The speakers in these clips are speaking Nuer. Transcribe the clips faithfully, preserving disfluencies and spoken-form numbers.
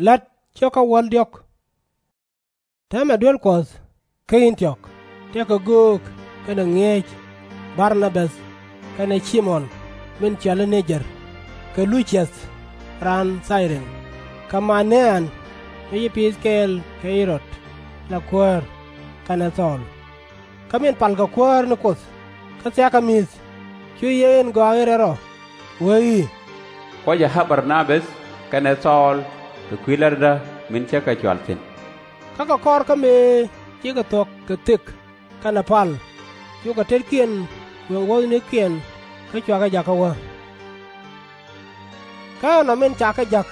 La̱t cä kä wäl diɔ̱k. Täämɛ duel Kuɔth kä Ɛ̈n-ti-ɔk, tëëkɛ göök kɛnɛ ŋi̱eec Bar-na-bäth kɛnɛ Cim-on min cɔal i̱ Ni-jɛr, kɛ Lu-ciäth raan Thay-rin, kɛ Ma-nä-an, mi ci piith kɛɛl kɛ Ɣɛ-rod la kuäär, kɛnɛ Thɔɔl. Kä min palkɛ Kuäär ni Kuoth kä thia̱a̱kɛ mi̱th, cu Yiëë in Gɔaa in Rɛl Rɔ wee i̱, Kɔcɛ ɣa̱r Bar-na-bäth kɛnɛ Thɔɔl kɛ kui̱ la̱tdä min cä kɛ cɔal thi̱n. Kä kɛ kɔr kä mëë cikɛ thuɔ̱k kɛ thik kɛnɛ pal, cukɛ tetkiɛn kuëŋ wuɔ̱thnikiɛn kä cuakɛ jakä wä. Kä ɛnɔ min cakɛ ja̱k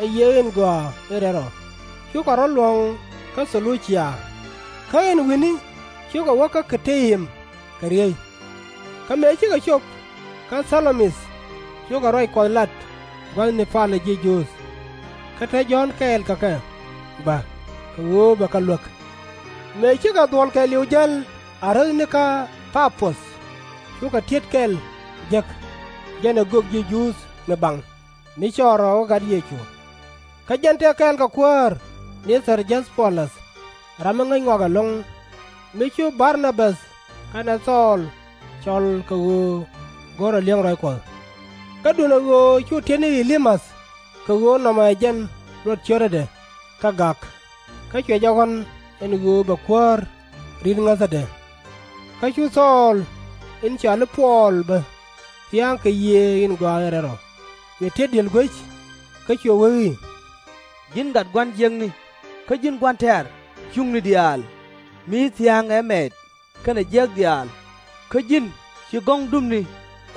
ɛ Yiëë in Gɔaa in Rɛl Rɔ, cukɛ rɔ̱ luɔ̱ŋ kä Thɛ-lu-cia, kä ɛn wi̱ni cukɛ wä kä Ki-ti-im kɛ riey. Kä mëë cikɛ cop kä Tha-lo-mi̱th, cukɛ ruac Kuɔth lat gua̱thni palä ji̱ Juudh. Kä te Jɔ̱ɔ̱n kɛɛl kɛ kɛ bä kɛ ɣöö bɛ kɛ luäk. Mëë cikɛ dhuɔ̱l kɛɛliw jäl a räthni kä Pa-puth, cukɛ ti̱et kɛl jek, jɛn ɛ gök ji̱ Juudh mi baŋ, mi cɔɔl rɔɔdɛ gat Yecu. Kä jɛn tëë kɛɛl kɛ kuäär ni Thɛr-jäth-po-läth, ram mi ŋäc ŋɔak ɛlɔ̱ŋ, mi cu Bar-na-bäth kɛnɛ Thɔɔl cɔl kɛ ɣöö go̱rɛ li̱eŋ ruac Kuɔth. Kä duundɛ ɣöö cu ti̱et ni Ɛ-li-mäth kɛ ɣöö nɔmɔ ɛ jɛn luɔt cio̱tädɛ kä gak, kä cuɛ jɛ ɣɔ̱n ɛn ɣöö bɛ kuäär ri̱t ŋäthädɛ. Kä cu Thɔɔl in cɔal i̱ Puɔl bä thia̱a̱ŋ kɛ Yiëë in Gɔaa in Rɛl Rɔ, cuɛ ti̱et diël guec, kä cuɛ wee i̱, Ji̱n gat gua̱n jiäkni kä ji̱n gua̱n tɛ̈r cuŋni diaal, mi thia̱a̱ŋ ɛ mɛɛt kɛnɛ jiäk diaal, kä ji̱n ci gɔ̱ŋ dupni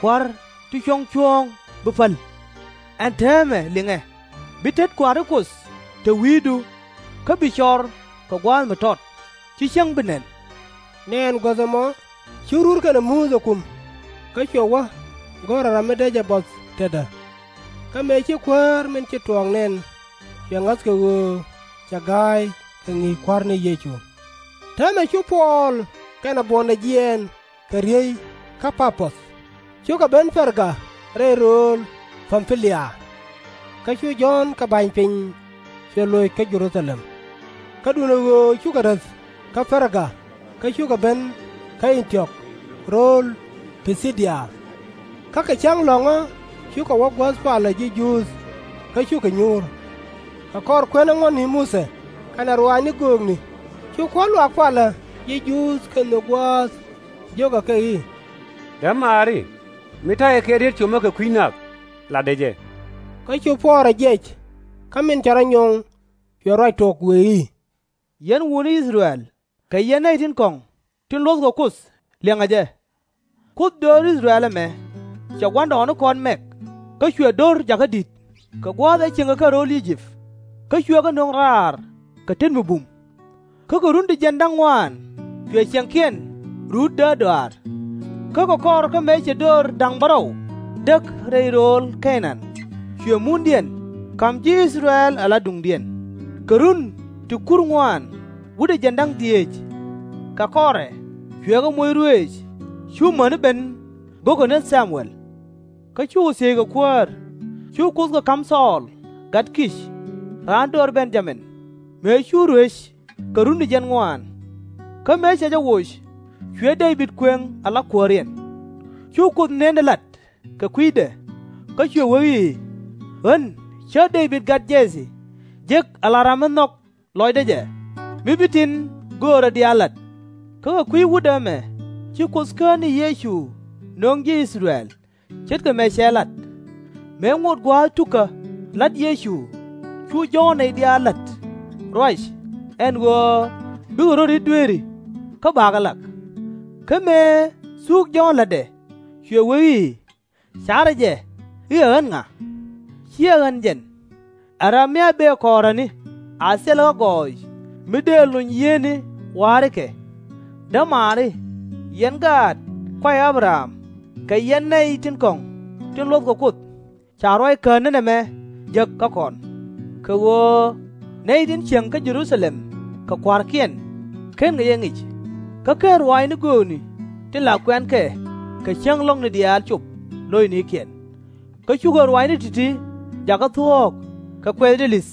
Kua̱r ti cuɔ̱ŋ cuɔ̱ɔ̱ŋ bi päl. Ɛn täämɛ liŋɛ, bi tet kua̱ri Kuoth te wi̱i̱du, kä bi cɔr kɛ gua̱a̱th mi tɔt, /ci cäŋ bi nɛn. Nɛɛn guäth ɛmɔ cu rur kɛnɛ Muthɛ kum, kä cuɛ wä go̱rɛ ram mi dee jɛ buɔth tetdä. Kä mëë ci kuäär min ci tuɔɔk nɛn, cuɛ ŋa̱th kɛ ɣöö cɛ ga̱a̱c kɛ ŋi̱i̱c Kua̱r ni Yecu. Täämɛ cu Puɔl kɛnɛ buɔ̱ndɛ jiɛɛn kɛ riey kä Pa-puth, cukɛ ben Pɛr-ga rɛy rööl Pam-pi-lia. Kä cu Jɔ̱ɔ̱n kɛ ba̱ny piny cuɛ loc kä Jɛ-ru-tha-lɛm. Kä duundɛ ɣöö cukɛ räth kä Pɛr-ga, kä cukɛ ben kä Ɛn-ti-ɔk rööl Pi-thi-dia. Kä kɛ cäŋ lɔ̱ŋä cukɛ wä guäth palä ji̱ Juudh, kä cukɛ nyuur. Kɛ kɔr kuɛn aŋuɔ̱tni Muthɛ kɛnɛ ruaacni göökni, cu kua̱r luaak palä ji̱ Juudh kɛnɛ nhök gua̱a̱th, jiökɛ kɛ i̱, Dämaari, mi ta̱yɛ kɛ riet comä kɛ kui̱ nath, latdɛ jɛ. Kä cu Puɔl rɔ jiɛc, kä min cɛ rɔ nyoŋ, cuɛ ruac tok wëë i̱, Yɛn wutni I-thɛ-rɛl kɛ yɛn nɛy tin kɔ̱ŋ tin luɔ̱thkɛ Kuoth, liɛŋɛ jɛ. Kuoth döör I-thɛ-rɛl ɛmɛ cɛ gua̱ndɔɔŋnikɔn mɛk, kä cuɛ do̱r jakä di̱t kɛ gua̱a̱th ëë cieŋkɛ kɛ ro̱o̱l I-jëp, kä cuɛ kɛ nöŋ raar kɛ tet mi bum. Kä kɛ run ti jiɛn da̱ŋ ŋuaan cuɛ ciɛŋkiɛn ruut däärdɔaar. Kä kɛ kɔr kä mëë cɛ döör da̱ŋ bärɔw däk rɛy rööl Kɛ-naan, cuɛ mundiɛn ka̱m ji̱ I-thɛ-rɛl ala duŋdiɛn. Kɛ run ti kur ŋuaan wutdɛ jiɛn da̱ŋ dhieec, kɛ kɔrɛ cuɛ kɛ moc ruëëc cu mäni ben go̱o̱kɛ ni Tha-muɛl. Kä cukɛ thiec kɛ kuäär, cu Kuoth kɛ ka̱m Thɔɔl gat Ki̱c, raan döör Ben-ya-min, mëë cu ruëc kɛ run ti jiɛn ŋuaan. Kä mëë cɛ jɛ woc, cuɛ Dee-bid kuëŋ ala kuääriɛn. Cu Kuoth nëndɛ la̱t kɛ kui̱dɛ, kä cuɛ wee i̱, Ɣän cä Dee-bid gat Jɛ-thi jek ala ram mi nhɔk lɔcdä jɛ, mi bi tin göörä diaal lat. Kä kɛ kui̱ wutdä ɛmɛ ci Kuoth Kään ni Yecu nöŋ ji̱ I-thɛ-rɛl, ce̱tkɛ mëë cɛ lat. Mëë ŋot gua̱a̱th tukä la̱t Yecu, cu Jɔ̱ɔ̱n nɛy diaal la̱t ruac ɛn ɣöö bikɛ rɔ̱ ri̱t dueeri, kä bakɛ lak. Kä mëë thuk Jɔ̱ɔ̱n la̱tdɛ, cuɛ wee i̱, Ca̱rä jɛ i̱ ɛ ɣän ŋa? /Ciɛ ɣän jɛn. Ɛ ram mi a bëë kɔɔräni a thil ɣä gɔɔy mi dëë luny yiëëni wa̱a̱ri kɛ. Dämaari, yɛn gaat kuay Ä-bɛ-ram kɛ yɛn nɛy tin kɔ̱ŋ tin luɔ̱thkɛ Kuoth, ca ruac Kään ni nɛmɛ jek kä kɔn. Kɛ ɣöö nɛy tin cieŋ kä Jɛ-ru-tha-lɛm kɛ kua̱rkiɛn /kenkɛ jɛ ŋic, kä /ken ruaacni göökni tin la kuɛnkɛ kɛ cäŋ lɔ̱ŋni diaal cop lo̱cnikiɛn. Kä cukɛ ruaacni ti̱ti̱ jakä thuɔ̱ɔ̱k kɛ kuɛth dɛli̱th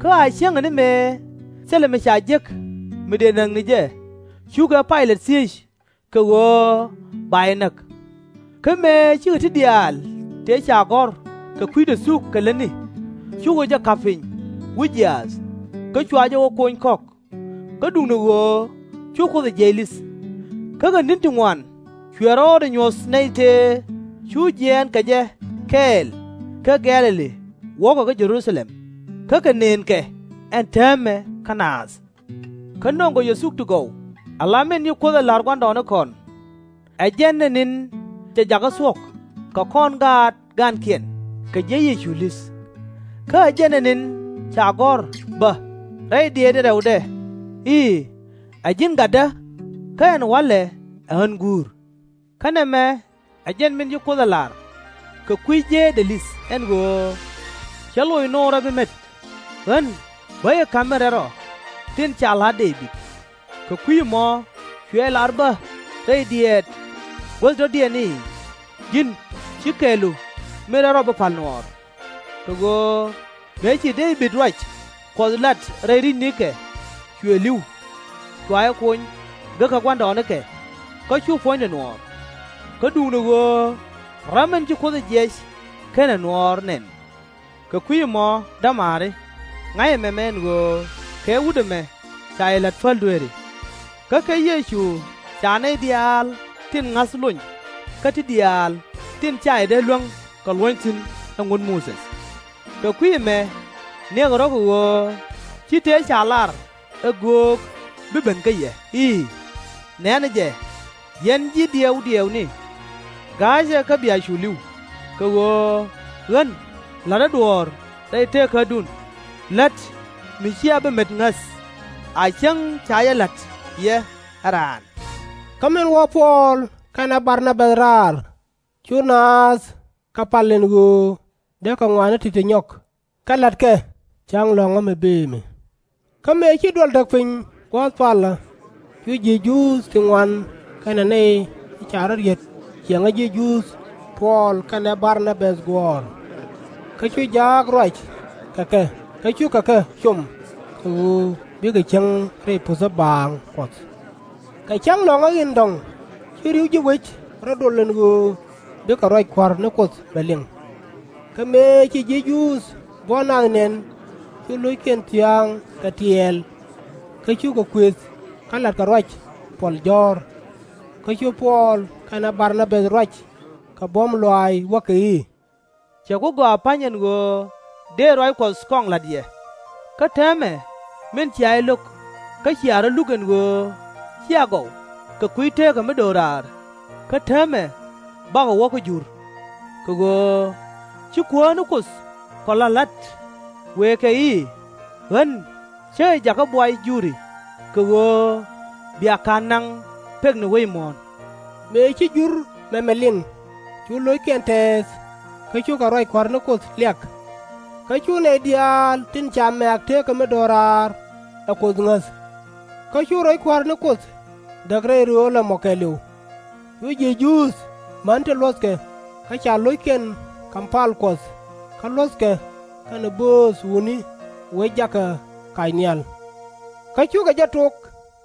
Kä a cäŋɛ ni mëë thilɛ mi ca jek mi dëë näk ni jɛ, cukɛ Pay-lɛt thiec kɛ ɣöö ba jɛ näk. Kä mëë cikɛ ti diaal tëë ca gɔ̱r kɛ kui̱dɛ thuk kɛ lätni, cukɛ jɛ ka̱p piny wi̱c jiaath, kä cua jɛ wä kony kɔ̱k. Kä duundɛ ɣöö cu Kuoth ɛ jiɛc li̱th. Kä kɛ ni̱n ti ŋuan cuɛ rɔɔdɛ nyuɔ̱th nɛy tëë cu jiɛɛn kɛ jɛ kɛɛl kä Gɛ̈-lɛ-li wäkɛ kä Jɛ-ru-tha-lɛm, kä kɛ nënkɛ ɛn täämɛ kä naath. Kä nɔŋkɔ yɛ thuk ti gɔw, ala min ci Kuoth ɛ la̱r gua̱ndɔɔŋnikɔn. Ɛ jɛn ɛ ni̱n cɛ jakä thuɔ̱k kɛ kɔn gaat ga̱a̱nkiɛn kɛ jiɛc Yecu li̱th. Kä ɛ jɛn ɛ ni̱n ca gɔ̱r bä rɛy dieetdɛ rɛwdɛ i̱, Ɛ ji̱n Gatdä, kä ɛn wa̱lɛ ɛ ɣän guur. Kä nɛmɛ ɛ jɛn min ci Kuoth ɛ la̱r kɛ kui̱ jëëtdɛ li̱th ɛn ɣöö, Cä loc Noorä bi met, ɣän bä jɛ ka̱m min rɛl rɔ tin ca la̱t Dee-bid. Kɛ kui̱ ɛmɔ cuɛ jɛ lar bä rɛy diɛɛt guäth dɔ̱diɛn i̱, Ji̱n ci kɛɛlu min rɛl rɔ bi pa̱l nuɔɔr. Kɛ ɣöö mëë ci Dee-bid ruac Kuɔth lat rɛy ri̱cnikɛ, cuɛ li̱w, cua jɛ kony gekä gua̱ndɔɔŋnikɛ, kä cu puɔ̱nydɛ nuɔɔr. Kä duundɛ ɣöö ram min ci Kuoth ɛ jiɛc /kenɛ nuɔɔr nɛn. Kɛ kui̱ ɛmɔ, dämaari, ŋa̱c ɛmɛmɛ ɛn ɣöö kɛ wut ɛmɛ ca yɛ la̱t päl dueeri. Kä kɛ Yecu ca nɛy diaal tin ŋa̱th lony kä ti diaal tin /ca yɛ dee luäŋ kɛ luɔ̱ny thi̱n ɛ ŋut Muthɛ. Kɛ kui̱ ɛmɛ, niɛkɛ rɔ̱ kɛ ɣöö ci tëë ca lar ɛ göök bi ben kä yɛ i̱, Nɛ̈nɛ jɛ, yɛn ji̱ diɛw diɛwni, ga̱a̱cɛ kä bia cu li̱w, kɛ ɣöö ɣän la̱tdä duɔ̱ɔ̱r rɛy teekädun, lät mi /cia bi met ŋäth, a cäŋ ca jɛ la̱t yɛ ɛ raan. Kä min wä Puɔl kɛnɛ Bar-na-bäth raar, cu naath kɛ pal ɛn ɣöö dee kɛ ŋɔaani ti̱ti̱ nyɔk, kä la̱tkɛ cäŋ lɔ̱ŋä mi bëë mi. Kä mëë ci duɔl däk piny gua̱a̱th palä, cu ji̱ Juudh ti ŋuan kɛnɛ nɛy ti ca rɔ̱ riet cieŋä ji̱ Juudh Puɔl kɛnɛ Bar-na-bäth guɔ̱ɔ̱r. Kä cu jaak ruac kɛ kɛ, kä cukɛ kɛ com kɛ ɣöö bikɛ cieŋ rɛy puthä baaŋ Kuɔth. Kɛ cäŋ lɔ̱ŋä in dɔ̱ŋ, ci ri̱w ji̱ wec rɔ̱ dol ɛn ɣöö bikɛ ruac Kua̱r ni Kuoth bɛ liŋ. Kä mëë ci ji̱ Juudh buɔ̱n nath nɛn, cu lo̱ckiɛn thia̱a̱ŋ kɛ tiɛɛl, kä cukɛ kuëth kä la̱tkɛ ruac puɔl jɔ̱ɔ̱r. Kä cu Puɔl kɛnɛ Bar-na-bäth ruac kɛ buɔ̱m lɔaac wäkɛ i̱, Cɛ ku gɔaa pa̱ny ɛn ɣöö dëë ruac Kuɔth kɔŋ la̱t yɛ. Kä täämɛ min cia jɛ lo̱k kä cia rɔ̱ luk ɛn ɣöö /cia gɔw kɛ kui̱ teekä mi do̱raar, kä täämɛ bakɔ wä kä Jur. Kɛ ɣöö ci Kuäär ni Kuoth kɔ la̱t la̱t, wëë kɛ i̱, Ɣän cä jɛ jakä buay Juri, kɛ ɣöö bia ka̱n naŋ pekni wec muɔ̱ɔ̱n. Mëë ci Jur mɛmɛ liŋ, cu lo̱ckiɛn tɛɛth, kä cukɛ ruac Kua̱r ni Kuoth liak. Kä cu nɛy diaal tin ca mɛ̈ɛ̈k teekä mi do̱raar ɛ Kuoth ŋäth. Kä cu ruac Kua̱r ni Kuoth däk rɛy rööl ɛmɔ kɛɛliw. Cu ji̱ Juudh män tin luɔ̱thkɛ kä ca lo̱ckiɛn ka̱m pal Kuɔth, kä luɔ̱thkɛ kɛnɛ bööth wutni wec jakä kac nhial. Kä cukɛ jɛ tok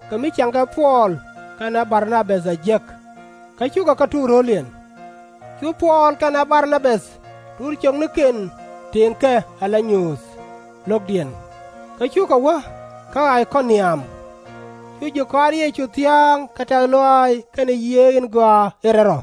kɛ mi cieŋkɛ Puɔl kɛnɛ Bar-na-bäth a jiäk, kä cukɛ kɛ tuk ro̱liɛn. Cu Puɔl kɛnɛ Bar-na-bäth tur ciöknikiɛn tëëŋkɛ ala nyuuth lo̱kdiɛn, kä cukɛ wä kä Ay-kɔ-niam. Cu ji̱ kɔaar Yecu thia̱a̱ŋ kɛ tɛ̈th lɔaac kɛnɛ Yiëë in Gɔaa in Rɛl Rɔ.